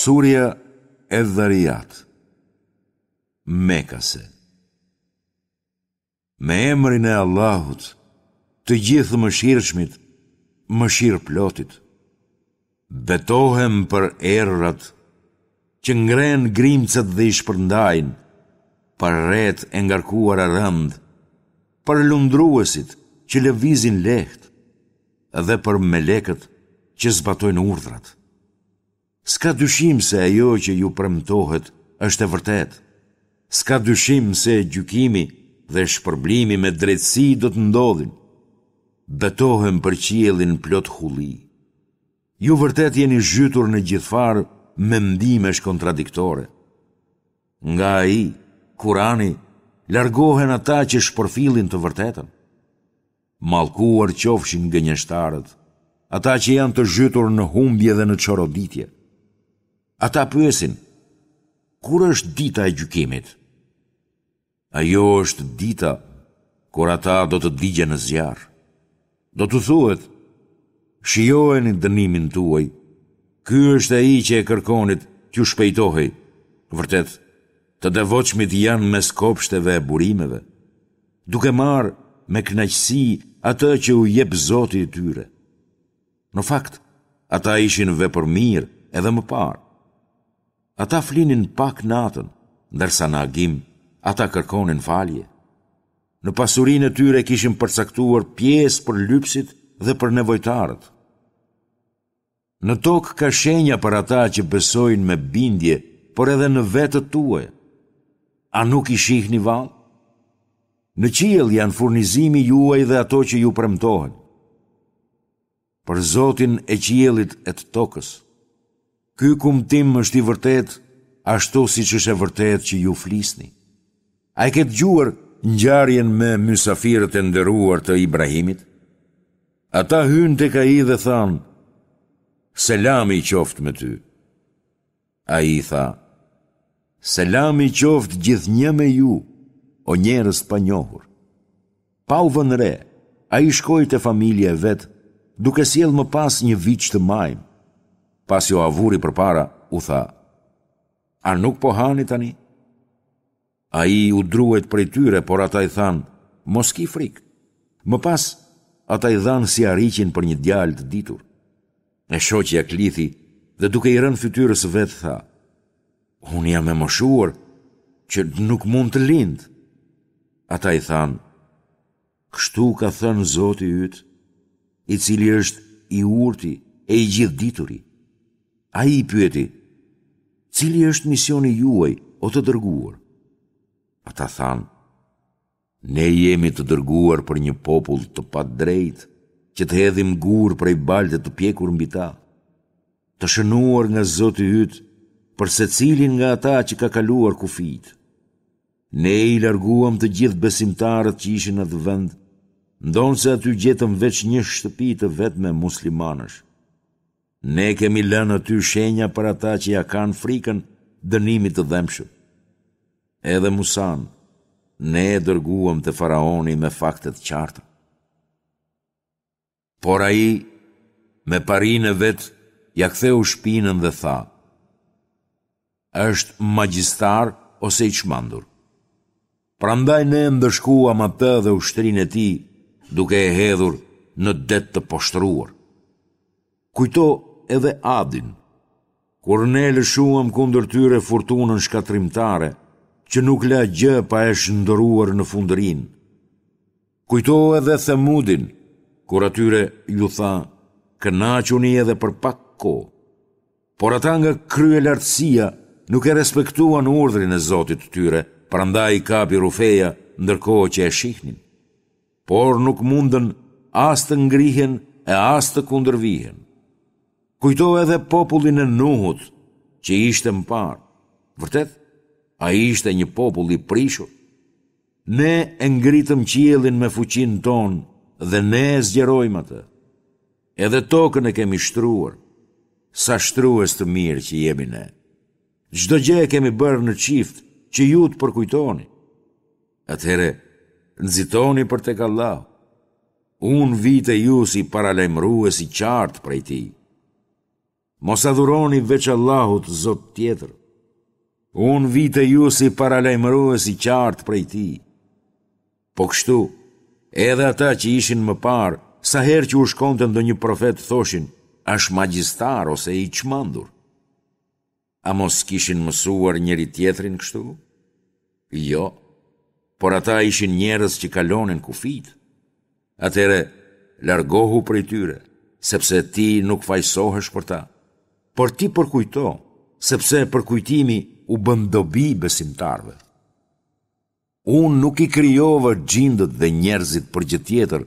Surja Edh-Dharijat, Mekase Me emrin e Allahut, të Gjithëmëshirshmit, mëshirëplotit. Betohem për erërat që ngrenë grimcat dhe i shpërndajnë, për retë e ngarkuara rëndë, për lundruesit që lëvizin lehtë dhe për melekët që zbatojnë urdhrat. S'ka dyshim se ajo që ju premtohet është e vërtetë. S'ka dyshim se gjykimi dhe shpërblimi me drejtësi do të ndodhin. Betohem për qiellin plot hulli. Ju vërtet jeni zhytur në gjithfarë mendimesh kontradiktore. Nga ai, Kurani, largohen ata që shpërfillin të vërtetën. Mallkuar qofshin gënjeshtarët, ata që janë të zhytur në humbje dhe në çoroditje. Ata pyesin, kur është dita e gjykimit? Ajo është dita kur ata do të digjen në zjarr. Do t'u thuhet, shijojeni dënimin tuaj, ky është ai që e kërkonit t'ju shpejtohej. Vërtet, të devotshmit janë mes kopshteve e burimeve. duke marrë me kënaqësi atë që u jep Zoti i tyre. Në fakt, ata ishin vepërmirë edhe më parë. Ata flinin pak natën, ndërsa në agim ata kërkonin falje. Në pasurinë e tyre kishin përcaktuar pjesë për lypësit dhe për nevojtarët. Në tokë ka shenja për ata që besojnë me bindje, por edhe në vetët tuaja. A nuk i shihni vallë? Në qiell janë furnizimi juaj dhe ato që ju premtohen. Për Zotin e qiellit e të tokës. Ky kumtim është i vërtetë, ashtu siç është e vërtetë që ju flisni. A e ke dëgjuar ngjarjen me mysafirët e nderuar të Ibrahimit? Ata hynë tek ai dhe thanë, Selami qoftë me ty. Ai tha, Selami qoftë gjithnjë me ju, o njerëz të panjohur. Pa u vënë re, ai shkoi te familja e vet, duke sjellë më pas një viç të majmë. Pasi ua vuri përpara, u tha, A nuk po hani tani? Ai u druajt prej tyre, por ata i thanë, mos ki frikë. Më pas, ata i dhanë sihariqin për një djalë të ditur. E shoqja klithi dhe duke i rënë fytyrës së vet tha, unë jam e moshuar që nuk mund të lind. Ata i thanë, kështu ka thënë Zoti yt, i cili është i urti e i gjithëdituri. Ai i pyeti, cili është misioni juaj, o të dërguar? Ata thanë, ne jemi të dërguar për një popull të padrejtë, që të hedhim gurë prej balte të pjekur mbi ta, të shënuar nga Zoti yt për secilin nga ata që ka kaluar kufijtë. Ne i larguam të gjithë besimtarët që ishin në atë vend, ndonëse aty gjetëm veç një shtëpi të vetme muslimanësh. Ne kemi lënë aty shenja për ata që ia kanë frikën dënimit të dhembshëm. Edhe Musanë, ne e dërguam te faraoni me fakte të qarta. Por ai, me parinë e vet, ia ktheu shpinën dhe tha, është magjistar ose i çmendur. Prandaj ne e ndëshkuam atë dhe ushtrinë e tij duke e hedhur në det të poshtëruar. Kujto edhe Adin, kur ne lëshuam kundër tyre furtunën shkatërrimtare, që nuk la gjë pa e shndërruar në fundërrinë. Kujto edhe Themudin, kur atyre iu tha, kënaquni edhe për pak kohë. Por ata nga kryelartësia nuk e respektuan urdhrin e Zotit të tyre, prandaj i kapi rrufeja ndërkohë që e shihnin. Por nuk mundën as të ngrihen e as të kundërvihen. Kujto edhe popullin e Nuhut, që ishte më parë. Vërtet, ai ishte një popull i prishur. Ne e ngritëm qiellin me fuqinë tonë dhe ne e zgjerojmë atë. Edhe tokën e kemi shtruar, sa shtrues të mirë që jemi ne. Çdo gjë e kemi bërë në çift që ju të përkujtoni. Atëherë, nxitoni për tek Allahu. Unë vij te ju si paralajmërues i qartë prej tij. Mos adhuroni veç Allahut zot tjetër. Unë vij te ju si paralajmërues i qartë prej tij. Po kështu, edhe ata që ishin më parë, sa herë që u shkonte ndonjë profet thoshin, është magjistar ose i çmendur. A mos kishin mësuar njëri-tjetrin kështu? Jo, por ata ishin njerëz që kalonin kufijtë. Atëherë, largohu prej tyre, sepse ti nuk fajësohesh për ta. Por ti përkujto, sepse përkujtimi u bën dobi besimtarëve. Unë nuk i krijova xhindët dhe njerëzit për gjë tjetër,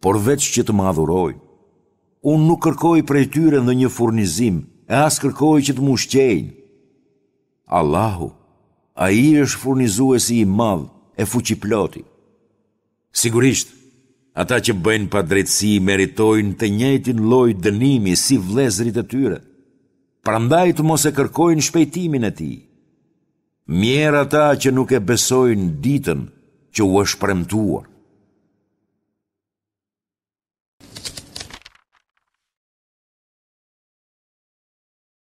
por veç që të më adhurojnë. Unë nuk kërkoj prej tyre ndonjë furnizim e as kërkoj që të më ushqejnë. Allahu, Ai është furnizuesi i madh e fuqiploti. Sigurisht, ata që bëjnë padrejtësi meritojnë të njëjtin lloj dënimi si vëllezërit e tyre. Prandaj të mos e kërkojnë shpejtimin e tij. Mjerë ata që nuk e besojnë ditën që u është premtuar.